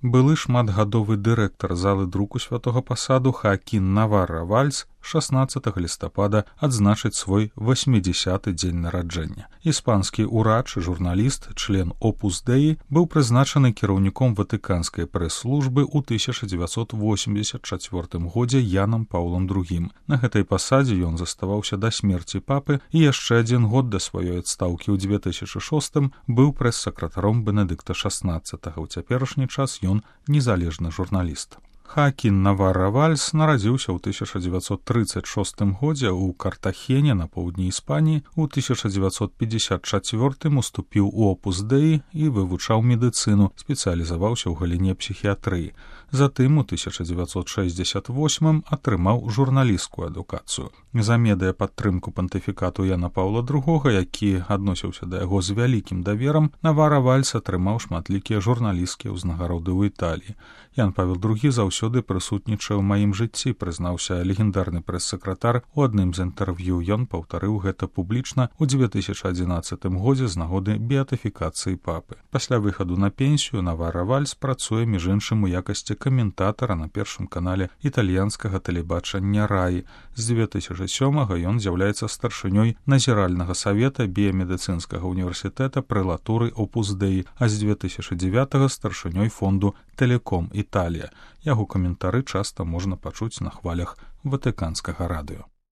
Былы шматгадовы дырэктар залы друку святога пасаду Хаакін Наварра Вальс 16 лістапада адзначыць свой 80-ы дзень нараджэння. Іспанскі ўрач, журналіст, член Опус Деі, быў прызначаны кіраўніком ватыканскай прэс-службы ў 1984 годзе Янам Паўлам II. На гэтай пасадзе ён заставаўся да смерці папы і яшчэ адзін год да сваёй адстаўкі ў 2006 быў прэс-сакратаром Бенедыкта XVI. У цяперашні час ён незалежны журналіст. Хаакін Наварра Вальс нарадзіўся ў 1936 годзе ў Картахене на поўдні Іспаніі. У 1954 уступіў у Опус Деі і вывучаў медыцыну, спецыялізаваўся ў галіне псіхіятрыі. Затым у 1968 атрымаў журналісцкую адукацыю. За медыяпадтрымку пантыфікату Яна Паўла II, які адносіўся да яго з вялікім даверам, Наварра Вальс атрымаў шматлікія журналісцкія ўзнагароды ў Італіі. Ян Павел II заўсёды прысутнічае ў маім жыцці, прызнаўся легендарны прэс-сакратар. У адным з інтэрв'ю ён паўтарыў гэта публічна ў 2011 годзе з нагоды беатыфікацыі папы. Пасля выхаду на пенсію Наварра Вальс працуе між іншым у якасці каментатара на першым канале італьянскага тэлебачання Раі. З 2007 ён з'яўляецца старшынёй назіральнага савета біямедыцынскага універсітэта прэлатуры Опус Деі, а з 2009 старшынёй фонду Тэлеком Італія. Яго каментары часта можна пачуць на хвалях ватыканскага радыё.